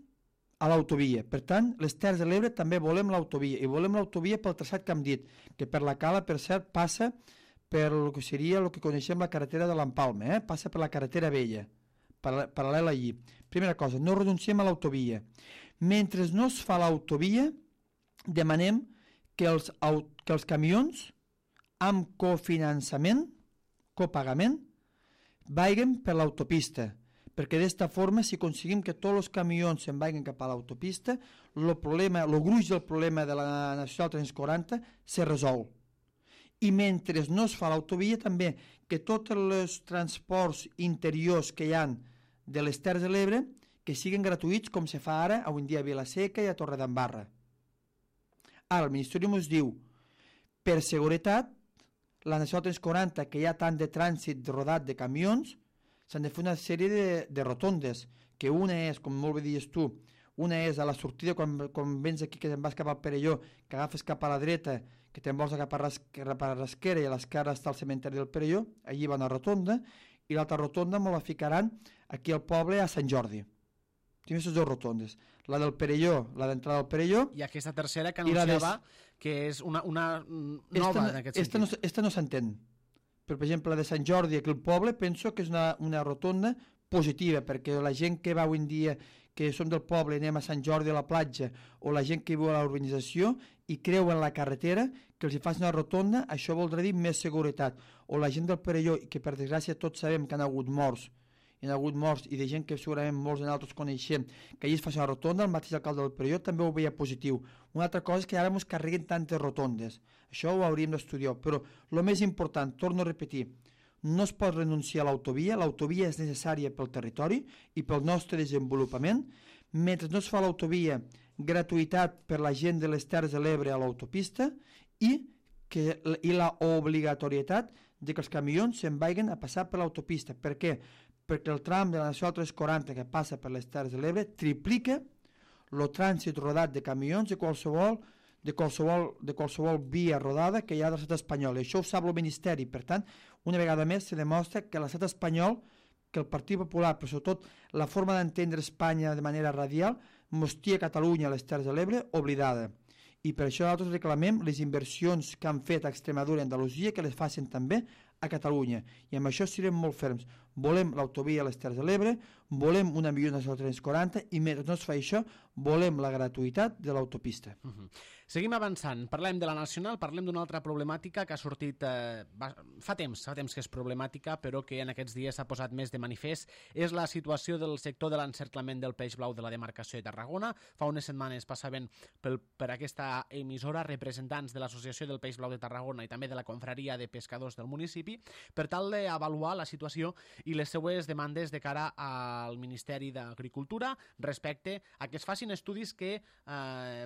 S2: a l'autovia. Per tant, les Terres de l'Ebre també volem l'autovia, i volem l'autovia pel traçat que hem dit, que per la Cala, per cert, passa per el que seria el que coneixem la carretera de l'Empalme, passa per la carretera vella, paral·lela allí. Primera cosa, no renunciem a l'autovia. Mentre no es fa l'autovia, demanem que els camions amb cofinançament, copagament, vagin per l'autopista, perquè d'esta forma, si aconseguim que tots els camions se'n vagin cap a l'autopista, el gruix del problema de la Nacional 340 se resol. I mentre no es fa l'autovia, també que tots els transports interiors que hi ha de les Terres de l'Ebre que siguin gratuïts, com se fa ara avui en dia a Vilaseca i a Torredembarra. Ara, el Ministeri ens diu, per seguretat, la Nacional 340, que hi ha tant de trànsit rodat de camions, s'han de fer una sèrie de rotondes, que una és, com molt bé dius tu, una és a la sortida, quan vens aquí, que te'n vas cap al Perelló, que agafes cap a la dreta, que te'n vols cap a l'esquerra, i a l'esquerra està el cementeri del Perelló, allí va una rotonda, i l'altra rotonda me la ficaran aquí al poble a Sant Jordi. Tenim aquestes dues rotondes, la del Perelló, la d'entrada del Perelló,
S1: i aquesta tercera que anunciava que és una nova en aquest sentit.
S2: Esta no s'entén. Per exemple, la de Sant Jordi, aquí al poble, penso que és una rotonda positiva, perquè la gent que va avui en dia, que som del poble, anem a Sant Jordi a la platja, o la gent que viu a l'urbanització i creu en la carretera, que els hi faci una rotonda, això voldrà dir més seguretat. O la gent del Perelló, que per desgràcia tots sabem que han hagut morts, hi ha hagut morts i de gent que segurament molts de nosaltres coneixem, que allà es faci una rotonda, el mateix alcalde del Perelló també ho veia positiu. Una altra cosa és que ara ens carreguen tantes rotondes, això ho hauríem d'estudiar, però el més important, torno a repetir, no es pot renunciar a l'autovia és necessària pel territori i pel nostre desenvolupament. Mentre no es fa l'autovia, gratuïtat per la gent de les Terres de l'Ebre a l'autopista i la obligatorietat de que els camions se'n vagin a passar per l'autopista. Per què? Perquè el tram de la Nacional 340 que passa per les Terres de l'Ebre triplica el trànsit rodat de camions de qualsevol via rodada que hi ha de l'estat espanyol. I això ho sap el Ministeri. Per tant, una vegada més se demostra que l'estat espanyol, que el Partit Popular, però sobretot la forma d'entendre Espanya de manera radial, mostria Catalunya a les Terres de l'Ebre oblidada. I per això nosaltres reclamem les inversions que han fet a Extremadura i Andalusia que les facin també a Catalunya. I amb això serem molt ferms. Volem l'autovia a les Terres de l'Ebre, volem una millor Nacional 340 i mentre no es fa això, volem la gratuïtat de l'autopista.
S1: Seguim avançant. Parlem de la Nacional, parlem d'una altra problemàtica que ha sortit fa temps que és problemàtica, però que en aquests dies s'ha posat més de manifest. És la situació del sector de l'encerclament del peix blau de la demarcació de Tarragona. Fa unes setmanes passaven per aquesta emissora representants de l'Associació del Peix Blau de Tarragona i també de la Confraria de Pescadors del municipi per tal d'avaluar la situació i les seues demandes de cara al Ministeri d'Agricultura respecte a que es facin estudis que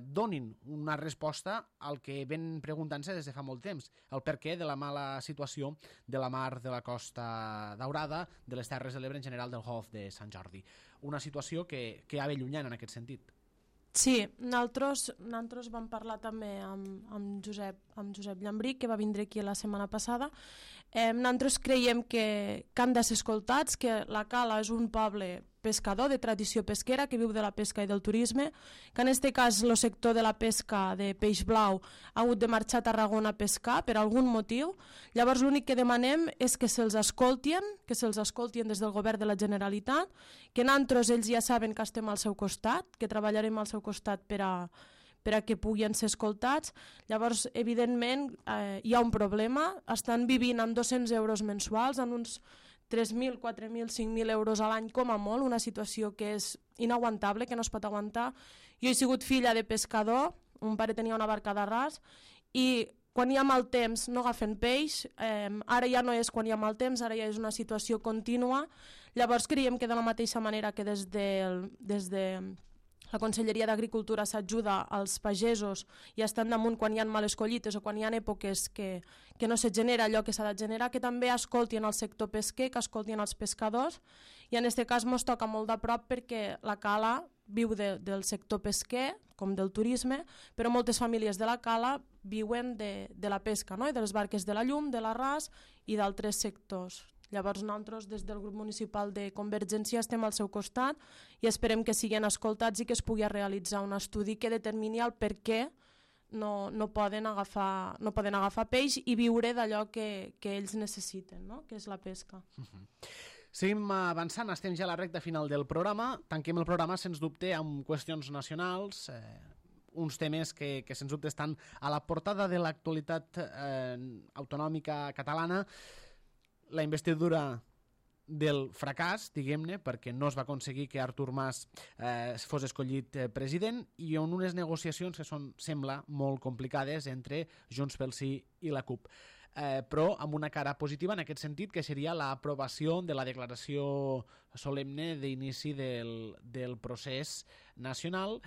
S1: donin una resposta al que ven preguntant-se des de fa molt temps, el perquè de la mala situació de la mar de la Costa Daurada, de les Terres de l'Ebre en general, del Golf de Sant Jordi. Una situació que ha ve llunyant en aquest sentit.
S3: Sí, nosaltres vam parlar també amb Josep Llambric, que va vindre aquí la setmana passada. Nosaltres creiem que han de ser escoltats, que la Cala és un poble pescador de tradició pesquera que viu de la pesca i del turisme, que en aquest cas el sector de la pesca de peix blau ha hagut de marxar a Tarragona a pescar per algun motiu. Llavors l'únic que demanem és que se'ls escoltin, des del govern de la Generalitat, que nosaltres ells ja saben que estem al seu costat, que treballarem al seu costat per a que puguin ser escoltats. Llavors, evidentment, hi ha un problema. Estan vivint amb 200 euros mensuals, en uns 3.000, 4.000, 5.000 euros a l'any com a molt, una situació que és inaguantable, que no es pot aguantar. Jo he sigut filla de pescador, un pare tenia una barca d'arràs, i quan hi ha mal temps no agafen peix, ara ja no és quan hi ha mal temps, ara ja és una situació contínua. Llavors creiem que de la mateixa manera que des de la Conselleria d'Agricultura s'ajuda als pagesos i estan damunt quan hi ha males collites o quan hi ha èpoques que no se genera allò que s'ha de generar, que també escoltin el sector pesquer, que escoltin els pescadors, i en aquest cas ens toca molt de prop perquè la Cala viu del sector pesquer com del turisme, però moltes famílies de la Cala viuen de la pesca, no? I de les barques de la llum, de l'arràs i d'altres sectors. Llavors nosaltres des del grup municipal de Convergència estem al seu costat i esperem que siguin escoltats i que es pugui realitzar un estudi que determini el per què no poden agafar peix i viure d'allò que ells necessiten, no? Que és la pesca.
S1: Seguim avançant, estem ja a la recta final del programa. Tanquem el programa, sens dubte, amb qüestions nacionals, uns temes que sens dubte estan a la portada de l'actualitat autonòmica catalana. La investidura del fracàs, diguem-ne, perquè no es va aconseguir que Artur Mas fos escollit president, i en unes negociacions que sembla molt complicades entre Junts pel Sí i la CUP. Però amb una cara positiva en aquest sentit, que seria l'aprovació de la declaració solemne d'inici del procés nacional,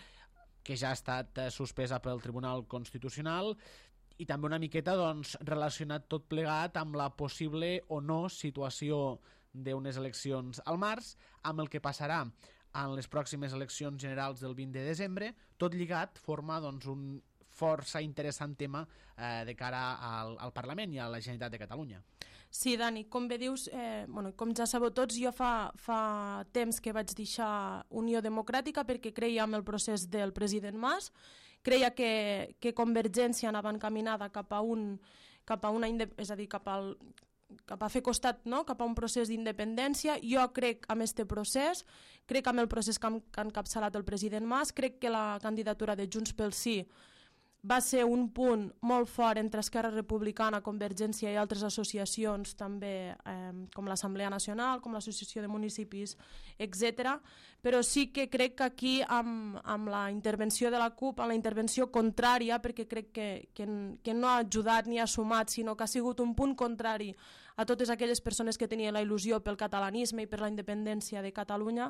S1: que ja ha estat suspesa pel Tribunal Constitucional, i també una miqueta relacionat tot plegat amb la possible o no situació d'unes eleccions al març, amb el que passarà en les pròximes eleccions generals del 20 de desembre, tot lligat forma un força interessant tema de cara al Parlament i a la Generalitat de Catalunya.
S3: Sí, Dani, com bé dius, com ja sabeu tots, jo fa temps que vaig deixar Unió Democràtica perquè creia en el procés del president Mas, creia que Convergència anava encaminada cap a fer costat, no? Cap a un procés d'independència. Jo crec en aquest procés, crec en el procés que ha encapçalat el president Mas, crec que la candidatura de Junts pel Sí va ser un punt molt fort entre Esquerra Republicana, Convergència i altres associacions també, com l'Assemblea Nacional, com l'Associació de Municipis, etc. Però sí que crec que aquí amb la intervenció de la CUP, amb la intervenció contrària, perquè crec que no ha ajudat ni ha sumat, sinó que ha sigut un punt contrari a totes aquelles persones que tenien la il·lusió pel catalanisme i per la independència de Catalunya,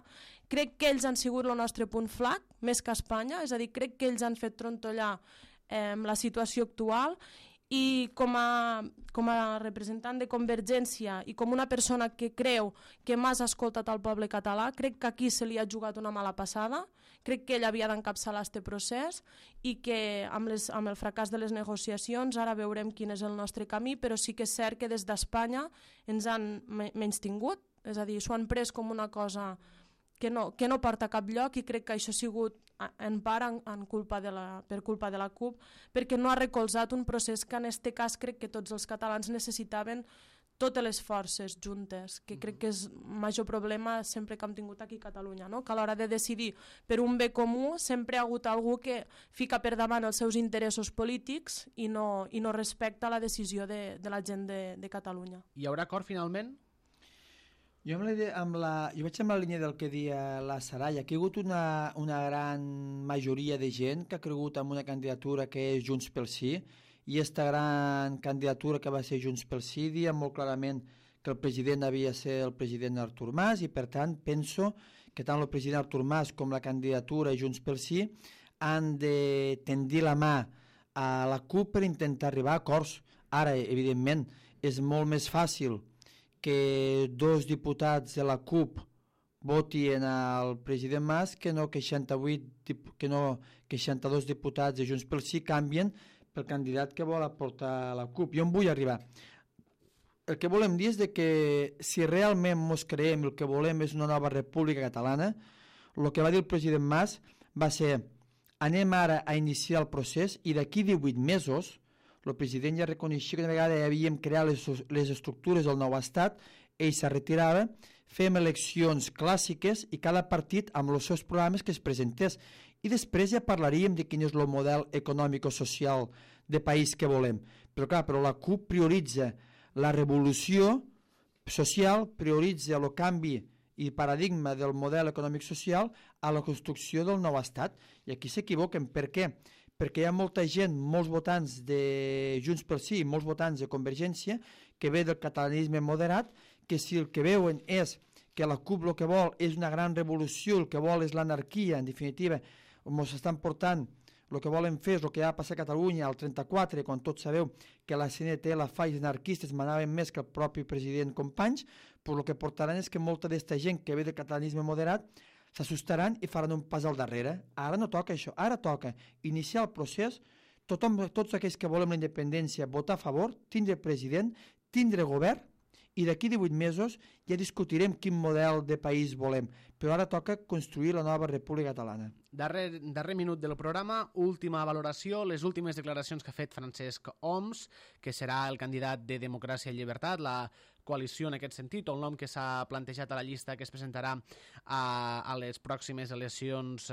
S3: crec que ells han sigut el nostre punt flac, més que Espanya, és a dir, crec que ells han fet trontollar la situació actual, i com a representant de Convergència i com una persona que creu que m'has escoltat al poble català, crec que aquí se li ha jugat una mala passada, crec que ell havia d'encapçalar aquest procés i que amb el fracàs de les negociacions ara veurem quin és el nostre camí, però sí que és cert que des d'Espanya ens han menystingut, és a dir, s'ho han pres com una cosa que no porta a cap lloc, i crec que això ha sigut en part per culpa de la CUP, perquè no ha recolzat un procés que en aquest cas crec que tots els catalans necessitaven totes les forces juntes, que crec que és el major problema sempre que hem tingut aquí a Catalunya, no? Que a l'hora de decidir per un bé comú sempre hi ha hagut algú que fica per davant els seus interessos polítics i no respecta la decisió de la gent de Catalunya.
S1: Hi haurà acord finalment?
S2: Jo vaig amb la línia del que dia la Saraya, que hi ha hagut una gran majoria de gent que ha cregut en una candidatura que és Junts pel Sí, i aquesta gran candidatura que va ser Junts pel Sí dia molt clarament que el president havia de ser el president Artur Mas, i per tant penso que tant el president Artur Mas com la candidatura Junts pel Sí han de tendir la mà a la CUP per intentar arribar a acords. Ara, evidentment, és molt més fàcil que dos diputats de la CUP votin al president Mas que no que 62 diputats de Junts pel Sí canvien pel candidat que vol aportar la CUP. Jo em vull arribar. El que volem dir és que si realment ens creiem el que volem és una nova república catalana, el que va dir el president Mas va ser anem ara a iniciar el procés i d'aquí 18 mesos el president ja reconeixia que una vegada ja havíem creat les estructures del nou estat, ell se retirava, fem eleccions clàssiques i cada partit amb els seus programes que es presentés. I després ja parlaríem de quin és el model econòmic-social de país que volem. Però la CUP prioritza la revolució social, prioritza el canvi i paradigma del model econòmic-social a la construcció del nou estat. I aquí s'equivoquen. Per què? Perquè hi ha molta gent, molts votants de Junts pel Sí i molts votants de Convergència que ve del catalanisme moderat, que si el que veuen és que la CUP el que vol és una gran revolució, el que vol és l'anarquia, en definitiva, ens estan portant, el que volen fer és el que va passar a Catalunya al 34, quan tots sabeu que la CNT, la FA i els anarquistes manaven més que el propi president Companys, però el que portaran és que molta d'esta gent que ve del catalanisme moderat s'assustaran i faran un pas al darrere. Ara no toca això, ara toca iniciar el procés, tots aquells que volem la independència votar a favor, tindre president, tindre govern, i d'aquí 18 mesos ja discutirem quin model de país volem, però ara toca construir la nova república catalana.
S1: Darrer minut del programa, última valoració, les últimes declaracions que ha fet Francesc Homs, que serà el candidat de Democràcia i Llibertat, la coalició en aquest sentit, o el nom que s'ha plantejat a la llista que es presentarà a les pròximes eleccions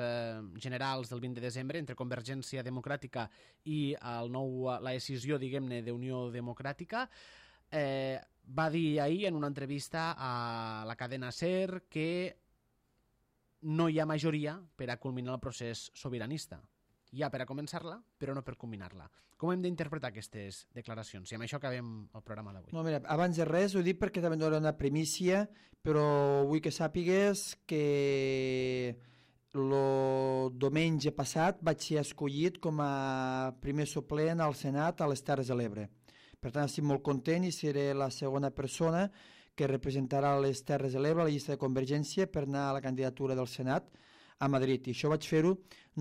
S1: generals del 20 de desembre entre Convergència Democràtica i la decisió, diguem-ne, d'Unió Democràtica. Va dir ahir en una entrevista a la cadena SER que no hi ha majoria per a culminar el procés sobiranista. Hi ha per a començar-la, però no per culminar-la. Com hem d'interpretar aquestes declaracions? I amb això acabem el programa d'avui.
S2: No, mira, abans de res ho dic perquè també no era una primícia, però vull que sàpigues que el diumenge passat vaig ser escollit com a primer suplent al Senat a les Terres de l'Ebre. Per tant, estic molt content i seré la segona persona que representarà les Terres de l'Ebre a la llista de Convergència per anar a la candidatura del Senat a Madrid. I això vaig fer-ho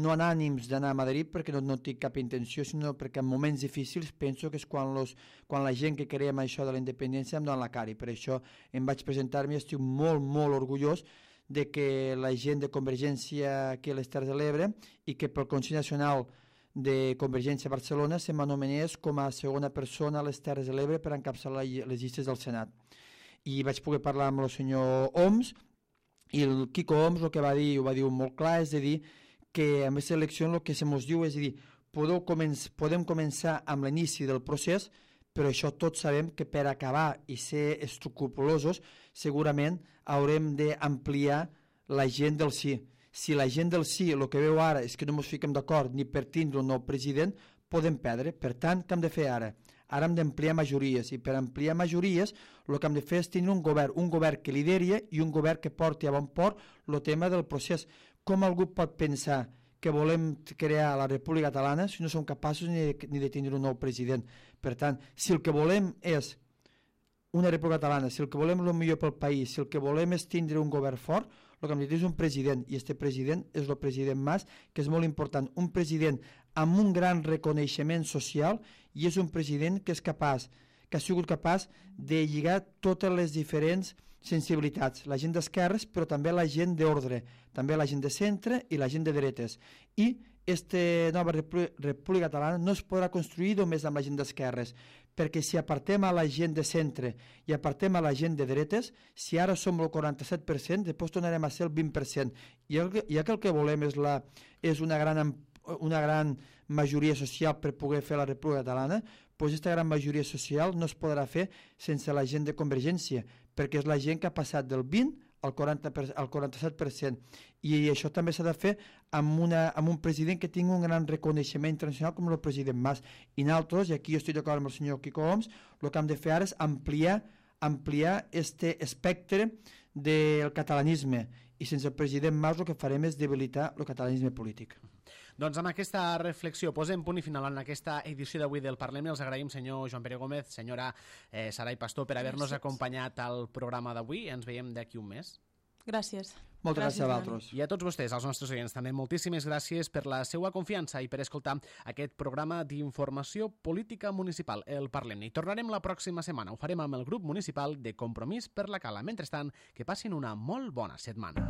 S2: no en ànims d'anar a Madrid perquè no tinc cap intenció, sinó perquè en moments difícils penso que és quan la gent que creiem això de la independència em dona la cara. I per això em vaig presentar-me i estic molt, molt orgullós de que la gent de Convergència aquí a les Terres de l'Ebre i que pel Consell Nacional de Convergència a Barcelona se m'anomenés com a segona persona a les Terres de l'Ebre per encapçalar les llistes del Senat. I vaig poder parlar amb el senyor Homs, i el Quico Homs el que va dir, ho va dir molt clar, és a dir, que en aquesta elecció el que se mos diu és a dir, podem començar amb l'inici del procés, però això tots sabem que per acabar i ser escrupulosos segurament haurem d'ampliar la gent del sí. Si la gent del sí el que veu ara és que no ens fiquem d'acord ni per tindre un nou president, podem perdre. Per tant, què hem de fer ara? Ara hem d'ampliar majories, i per ampliar majories el que hem de fer és tenir un govern que lideri i un govern que porti a bon port el tema del procés. Com algú pot pensar que volem crear la República Catalana si no som capaços ni de tindre un nou president? Per tant, si el que volem és una República Catalana, si el que volem és el millor pel país, si el que volem és tindre un govern fort, el que hem de tenir és un president, i aquest president és el president Mas, que és molt important, un president amb un gran reconeixement social, i és un president que és capaç, que ha sigut capaç de lligar totes les diferents sensibilitats, la gent d'esquerres, però també la gent d'ordre, també la gent de centre i la gent de dretes. I aquesta nova República Catalana no es podrà construir només amb la gent d'esquerres, perquè si apartem a la gent de centre i apartem a la gent de dretes, si ara som el 47%, després tornarem a ser el 20%. Ja que el que volem és una gran majoria social per poder fer la República Catalana, doncs aquesta gran majoria social no es podrà fer sense la gent de Convergència, perquè és la gent que ha passat del 20 al 47%, i això també s'ha de fer amb un president que tingui un gran reconeixement internacional com el president Mas. I nosaltres, i aquí jo estic d'acord amb el senyor Quico Homs, el que hem de fer ara és ampliar este espectre del catalanisme, i sense el president Mas el que farem és debilitar el catalanisme polític.
S1: Doncs amb aquesta reflexió posem punt i final en aquesta edició d'avui del Parlament. Els agraïm, senyor Joan Pere Gómez, senyora Sarai Pastor, per haver-nos acompanyat al programa d'avui. Ens veiem d'aquí un mes.
S3: Gràcies.
S2: Moltes gràcies a vosaltres.
S1: I a tots vostès, als nostres oients, també moltíssimes gràcies per la seva confiança i per escoltar aquest programa d'informació política municipal, el Parlem. I tornarem la pròxima setmana. Ho farem amb el grup municipal de Compromís per la Cala. Mentrestant, que passin una molt bona setmana.